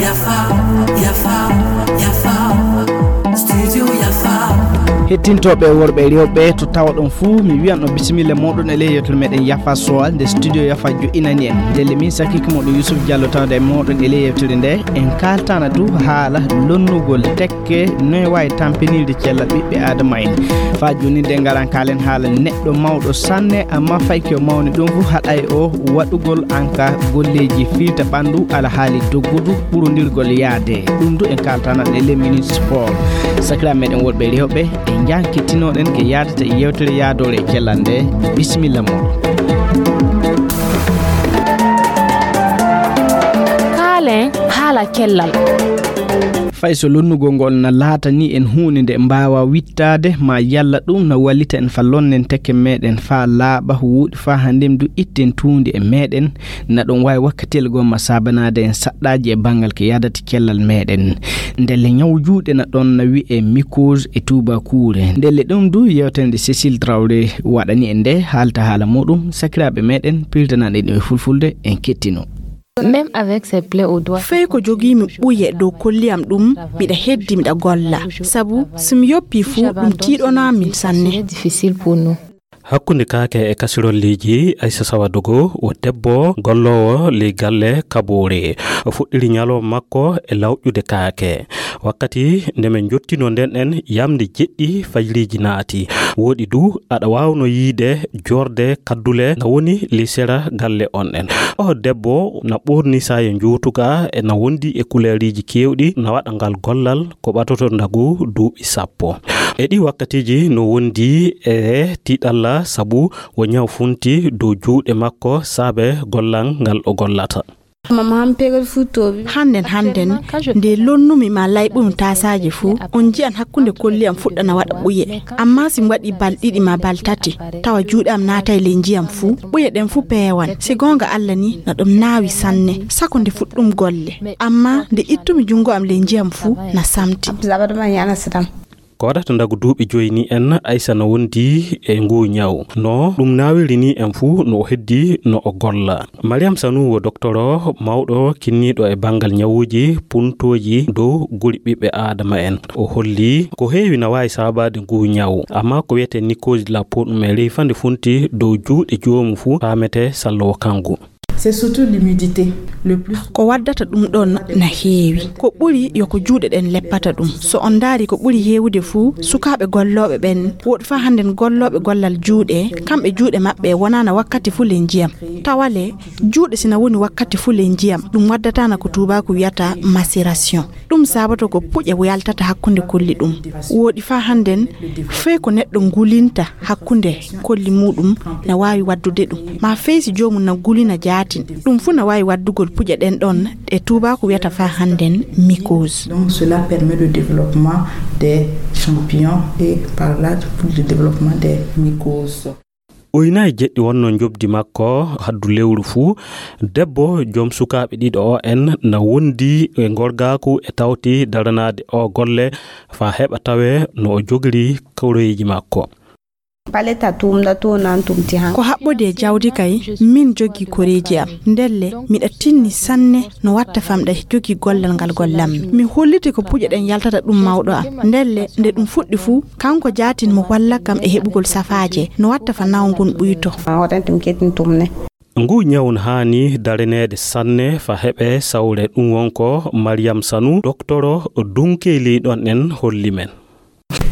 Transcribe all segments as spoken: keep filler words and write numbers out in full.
Yafa, yafa, yafa. Studio Yafa. Hettintooɓe worɓe e rewɓe to tawoɗon fuu, mi wiyan on bisimilla mooɗon e ley yewtere meɗen Yafa Sowa, nde studio Yafa jo'inani en. Ndelle min sakkiike mooɗon Yusuf Diallo tawde e mooɗon e ley yewtere nde. En kaaltana du haala lonnugol tekke, noy waawi tampinirde cellal ɓiɓɓe Aadama en. Faa jooni nde ngaran kaalen haala neɗɗo mawɗo sanne, amma fayi ko mawni ɗum fuu haɗay o waɗugol anka golleeji filta ɓanndu alhaali doggudu ɓurondirgol yaade. Ɗum du en kaaltana e ley minute sport. Sakiraaɓe meɗen worɓe e rewɓe, en njankitinoɗen ke yaadata e yewtere yaadoore e cellal nde. Bisimilla mooɗon. Kaalen haala cellal. Fay so lonnugol ngol na laatani en huunde nde mbaawa wittaade, ma yalla ɗum na wallita en fa lonnen tekke meɗen fa laaɓa, wuuɗi fa hannde du itten tuundi e meɗen, na ɗon waawi wakkatiyel goo ma saabanaade en saɗɗaaji e banngal ko yaadata cellal meɗen. Ndelle ñaw juuɗe na ɗon na wi'e mycose e tuubakuure. Ndelle ɗum du yewtere nde Cécile Traoré waɗani en nde, haalta haala muɗum, sakiraaɓe meɗen, piltanaɗen ɗum e fulfulde, en kettino. Même avec ses plaies au doigt. Fey ko jogiimi ɓuye dow kolli am ɗum, miɗa heddi miɗa golla. Sabu so mi yoppii fou, ɗum tiiɗonaa min sanne. Difficile pour nous. Hakkunde kaake e kasirolleeji, Aissa Sawadogo wo debbo golloowo ley galle Kaboore. O fuɗɗiri ñalawma makko e lawƴude kaake. Wakkati nde min njottinoo nden en yamnde jeɗɗi fajriiji naati. Wooɗi du aɗa waawno yiide joorde kaddule na woni ley sera galle on en. O debbo na ɓorni saaye njuutuga e na wondi e kuleeriiji keewɗi, na waɗa ngal gollal ko ɓatoto ndagu duuɓi sappo. E ɗii wakkatiiji no wondi e tiiɗalla sabu wo ñaw funti dow juuɗe makko saabe gollal ngal o gollata. Mama han pegel fu tobi. Hannden, hannden, nde lonnumi ma layɓumi taasaaje fuu, on nji'an hakkunde kolli am fuɗɗana waɗa ɓuye. Amma si mi waɗi bal ɗiɗi ma bal tati, tawa juuɗe am naatay ley njiyam fuu, ɓuye ɗen fuu peewan. Si goonga Alla ni, na ɗum naawi sanne, sako nde fuɗɗum golle. Amma nde ittumi junngo am ley njiyam fuu, na samti. Ko waɗata ndagu duuɓi joyi ni en, Aissa no wondi e nguu ñaw. No ɗum naawiri ni en fuu, no o heddi no o golla. Mariam Sanu wo doktoro mawɗo kinniiɗo e banngal ñawuuji puntooji dow guri ɓiɓɓe Aadama en. O holli ko heewi na waawi saabaade nguu ñaw, amma ko wiyetee mycose de la peau ɗum e ley fande funti dow juuɗe joomu fuu faamete sallowo kanngu. C'est surtout l'humidité, le plus. Ko waddata ɗum ɗon na heewi. Ko ɓuri yo ko juuɗe ɗen leppata ɗum. So on ndaari ko ɓuri heewude fuu, sukaaɓe gollooɓe ɓen, woɗi faa hannden gollooɓe gollal juuɗe, kamɓe juuɗe maɓɓe wonaana wakkati fuu ley njiyam. Tawale, juuɗe si na woni wakkati fuu ley njiyam, ɗum waddataana ko tuubaaku wiyata macération. Ɗum saabotoo ko puƴe yaltata hakkunde kolli ɗum. Wooɗi faa hannden, fey ko neɗɗo ngulinta hakkunde kolli muuɗum na waawi waddude ɗum. Maa fey si joomum na gulina jaatin, ɗum fuu na waawi waddugol puƴe ɗen ɗon ɗe tuubaaku wiyata faa hannden mycose. Donc cela permet le développement des champignons et par là le développement des mycoses. Uynaye jeɗɗi wonno njoɓdi makko haddu lewru fuu. Debbo joom sukaaɓe ɗiɗo o en na wondi e gorgaaku e tawti daranaade o golle faa heɓa tawee no o jogiri koreeji makko. Paleta tum da to nan tum ti han. Ko haɓɓode e jawdi kay, min jogii koreeji am. Ndelle, miɗa tinni sanne no watta famɗa jogii gollal ngal gollammi. Mi holliti ko puƴe ɗen yaltata ɗum mawɗo am. Ndelle, nde ɗum fuɗɗi fuu, kanko jaatin mo walla kam e heɓugol safaaje, no watta fa naw ngun ɓuyto. Ma waɗan tum ketin tum ne. Ngu ñaw no haani dareneede sanne fa heɓe sawre. Ɗum won ko Mariam Sanu, doktoro dunkeli ɗon en holli men.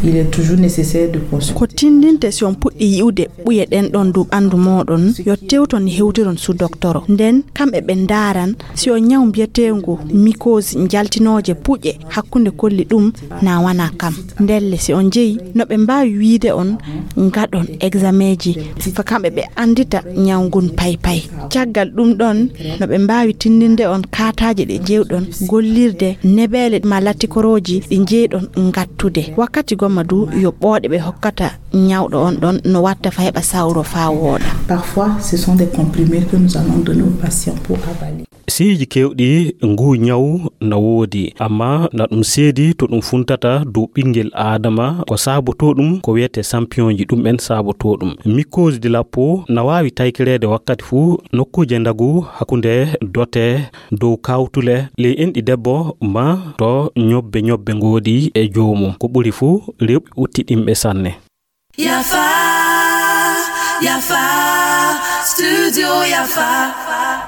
Il est toujours nécessaire de consulter. Ko tindinte si on puɗɗi yi'ude ɓuye ɗen ɗon dow ɓanndu mooɗon, yo tewton hewtiron su doktoro. Nden, kamɓe ɓe ndaaran si on ñaw mbiyeteengu mycose njaltinooje puƴe hakkunde kolli ɗum na wana kam. Ndelle si on jeyi, no ɓe mbaawi wiide on ngaɗon exameeji, fa kamɓe ɓe anndita ñaw ngun paypay. Caggal ɗum ɗon, no ɓe mbaawi tindinde on kaataaje ɗe jewɗon gollirde, nebeele ma lattikorooji ɗi jeyɗon ngattude. Wakkati gomma du, yo ɓooɗe ɓe hokkata ñawɗo on ɗon no watta fa heɓa sawro faa wooɗa. Parfois, ce sont des comprimés que nous allons donner aux patients pour avaler. Seeji keewɗi nguu ñawu na woodi, amma na ɗum seedi to ɗum funtata dow ɓinngel aadama. Ko saabotoo ɗum ko wiyetee sampiyonji, ɗum en saabotoo ɗum. Mikoos di lappo na waawi taykireede wakkati fuu nokkuuje ndagu hakkunde dote dow kawtule ley enɗi debbo ma to ñobbe ñobbe ngoodi e joomum. Ko ɓuri fuu rewɓe utti ɗimɓe sanne. Yafa, yafa, studio yafa.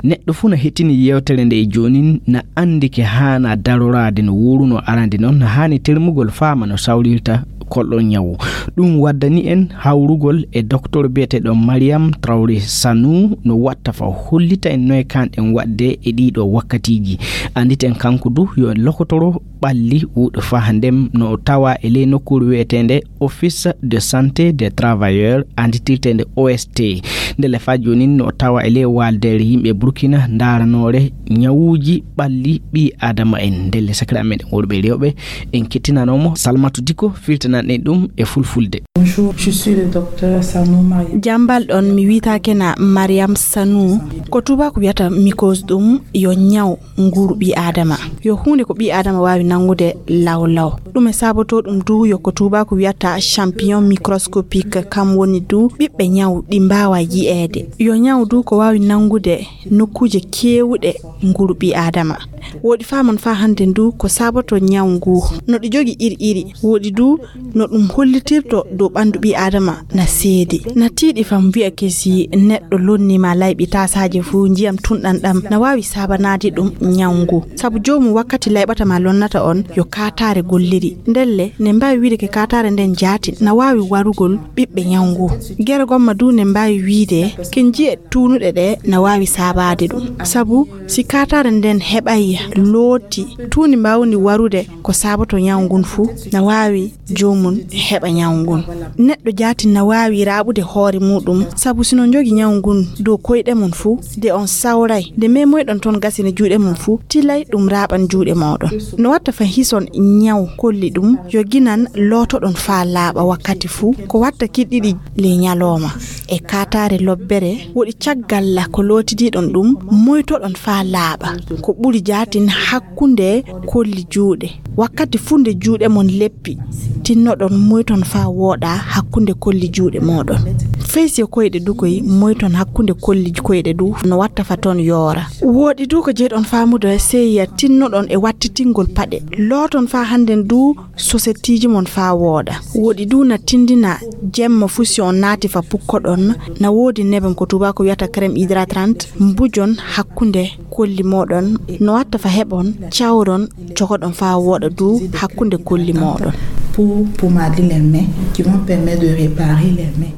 Neɗɗo fuu na hettini yewtere nde e joonin, na anndi ke haana daroraade no wuuruno arande noon, na haani termugol faama no sawrirta kolɗo ñawu. Ɗum waddani en hawrugol e docteur biyeteeɗo Mariam Traoré Sanou, no watta fa hollita en noy kanɗen waɗde e ɗiɗo wakkatiiji. Annditen kanko du yo lokotoro ɓalli wuuɗo faa ndem no tawa e ley nokkuure wiyeteende Office de Santé des Travailleurs, annditirteende O S T. Ndelle faa joonin no tawa e ley waaldeere yimɓe Burkina ndaaranoore ñawuuji ɓalli ɓii aadama en. Ndelle sakiraaɓe meɗen worɓe e rewɓe, en kettinanoo mo Salmatu Diko, firtanan en ɗum e fulfulde. Bonjour, je suis le docteur Sanou Mariam. Jambal ɗon mi wiyata kena Mariam Sanou. Ko tuubaaku wiyata mikoos ɗum yo ñaw nguuru ɓii aadama. Yo huunde ko ɓii aadama waawi nanngude law law. Ɗum e saabotoo ɗum du yo ko tuubaaku wiyata champignon microscopique, kam woni du ɓiɓɓe ñaw ɗi mbaawa yi'eede. Yo ñaw du ko waawi nanngude nokkuuje keewɗe nguuru ɓii aadama. Woɗi faamon faa hannde ndu ko saabotoo ñaw ngu. No ɗi jogi iri iri. Woɗi du no ɗum hollitirto dow ɓanndu ɓii aadama na seedi. Na tiiɗi fam wi'a kesi neɗɗo lonni ma layɓi taasaaje fuu njiyam tunɗan ɗam na waawi saabanaade ɗum ñaw ngu. Sabu joomum wakkati layɓata ma lonnata on yo kaataare golliri. Ndelle ne mbaawi wiide ke kaataare nden jaati na waawi warugol ɓiɓɓe ñaw ngu. Gere gomma du ne mbaawi wiide ke njiye tuunuɗe ɗe na waawi saabaade ɗum. Sabu si kaataare nden heɓay looti, tuundi mbaawndi warude ko saaboto ñaw ngun fuu, na waawi joomum heɓa ñaw ngun. Neɗɗo jaati na waawi raaɓude hoore muuɗum, sabu si no njogi ñaw ngun dow koyɗe mum fuu, de on sawray, nde memoyɗon toon gasine juuɗe mum fuu, tilay ɗum raaɓan juuɗe mooɗon. No watta fa hison ñaw kolli ɗum, yo ginan lootoɗon faa laaɓa wakkati fuu, ko watta kiɗɗiɗi ley ñalooma. E kaataare lobbere, woɗi caggal la ko lootidiiɗon ɗum, moytoɗon faa laaɓa. Ko ɓuri jaatin hakkunde kolli juuɗe. Wakkati fuu nde juuɗe mon leppi, tinnoɗon moyton faa wooɗa hakkunde kolli juuɗe mooɗon. Fey si e koyɗe du koy, moyton hakkunde kolli koyɗe du, no watta fa toon yoora. Wooɗi du ko jeyɗon faamude seeya, tinnoɗon e wattitingol paɗe. Looton faa hannden du sosettiiji mon faa wooɗa. Woɗi du na tindina jemma fuu si on naati fa pukkoɗon, na woodi nebam ko tuubaaku wiyata crème hydratrante, mbujon hakkunde kolli mooɗon, no watta fa heɓon cawron cokoɗon faa wooɗa du hakkunde kolli mooɗon. Pour pommader les mains, qui vont permettre de réparer les mains.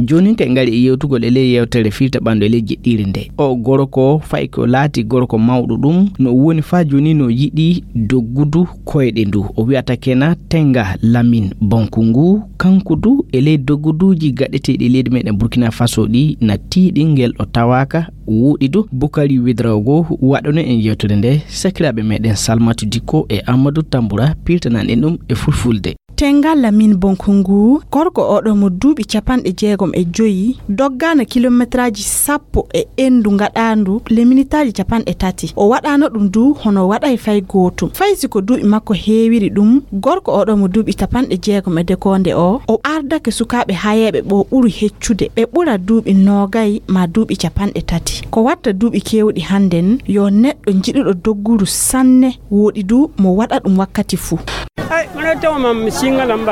Joonin kay ngari e yewtugol e ley yewtere firta ɓanndu e ley jeɗɗiire nde. O gorko fay ko laati gorko mawɗo ɗum, no woni faa jooni no yiɗi doggudu koyɗe ndu. O wiyata kena Tenga Lamin Bonkungu, kanko du e ley dogguduuji gaɗeteeɗi leydi meɗen Burkina Faso ɗi na tiiɗi ngel o tawaaka. Wuuɗi du Bukari Widraogo waɗono en yewtere nde sakiraaɓe meɗen Salmatu Dikko e Amadou Tambura pirtanan en ɗum e fulfulde. Tenga Lamin Bonkungu, gorko oɗo mo duuɓi capanɗe jeegom e joyi, doggaana kilometraaji sappo e enndu ngaɗaandu le minitaaji capanɗe tati. O waɗaano ɗum du hono waɗay fay gootum. Fay si ko duuɓi makko heewiri ɗum, gorko oɗo mo duuɓi capanɗe jeegom e dekoonde o, o ardake sukaaɓe hayeeɓe ɓo ɓuri heccude. Ɓe ɓura duuɓi noogay maa duuɓi capanɗe tati. Ko watta duuɓi keewɗi hannden, yo neɗɗo jiɗuɗo dogguru sanne, woɗi du mo waɗa ɗum wakkati fuu.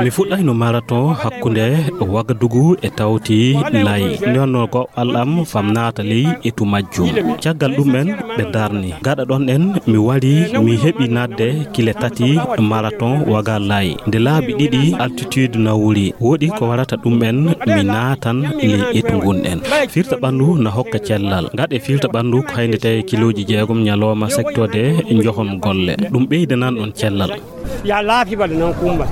Mi fuɗɗayno marathon hakkunde Wagadugu e Tawti Layi. Nde wonnoo ko al'am fam naata ley etu majjum. Caggal ɗum en ɓe darni. Gaɗa ɗon en mi wari mi heɓi naatde kile tati marathon Waga Layi. Nde laabi ɗiɗi altitude nawori. Woɗi ko warata ɗum en mi naatan ley etu ngun en. Firta ɓanndu na hokka cellal. Gaɗe firta ɓanndu ko haynde tawi kilooji jeegom ñalooma sektode njohon golle. Ɗum ɓeydanan ɗon cellal. Ya laafi bala nan kumba.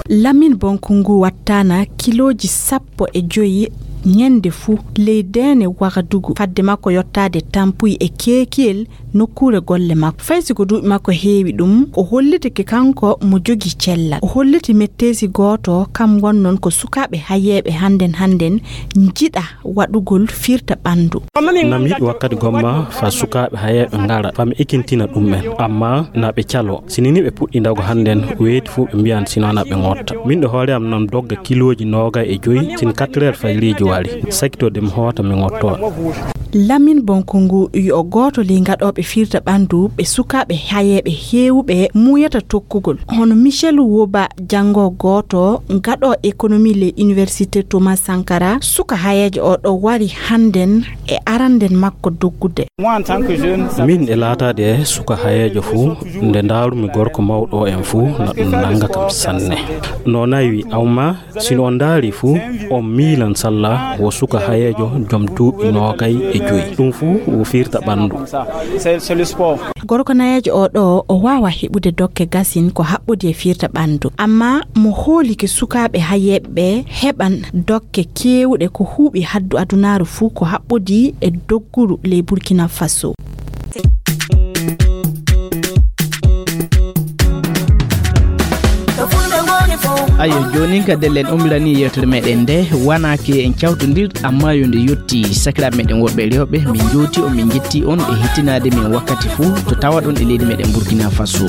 Lamin Bonkungu wattaana kilooji sappo e joyi Ñande fuu ley deene Wagadugu, fadde makko yottaade tampuy e keekiyel nokkuure golle makko. Fay si ko duuɓi makko heewi ɗum, o hollitike kanko mo jogii cellal. O holliti metteesi gooto, kam won noon ko sukaaɓe hayeeɓe hannden hannden njiɗa waɗugol firta ɓanndu. Nam yiɗi wakkati gomma fa sukaaɓe hayeeɓe ngara, fa mi ekintina ɗum en. Amma na ɓe calo. Si nini ɓe puɗɗi ndago hannden, weeti fuu ɓe mbiyan sino na ɓe ngotta. Min ɗo hoore am nan dogga kilooji noogay e joyi, sin quatre heures fajriiji wari. Sakito de mi hoota mi ngotto. Lamin Bonkungu yo gooto ley ngaɗooɓe firta ɓanndu ɓe sukaaɓe hayeeɓe heewuɓe muuyata tokkugol. Hono Michel Woba, janngo gooto ngaɗo économie ley Université Thomas Sankara, suka hayeejo o ɗo wari hannden e aranden makko doggude. Min e laataade suka hayeejo fuu, nde ndaarumi gorko mawɗo en fuu, na ɗum nannga kam sanne. No nayi wi awma, si no on ndaari fuu, on miilan salla wo suka hayeejo jom duuɓi noogay e joyi. Ɗum fuu wo firta ɓanndu. Gorko nayeejo o ɗo, o waawa heɓude dokke gasin ko haɓɓodi e firta ɓanndu. Amma mo hoolike sukaaɓe hayeeɓe ɓe heɓan dokke keewuɗe ko huuɓi haddu adunaaru fuu ko haɓɓodi e dogguru ley Burkina Faso. Ayo, joonin ka dellen umirani yewtere meɗen nde, wana ke en cawtondir, amma yo nde yotti. Sakiraaɓe meɗen worɓe e rewɓe, min njooti on, min njetti on e hettinaade min wakkati fuu to tawaɗon e leydi meɗen Burkina Faso.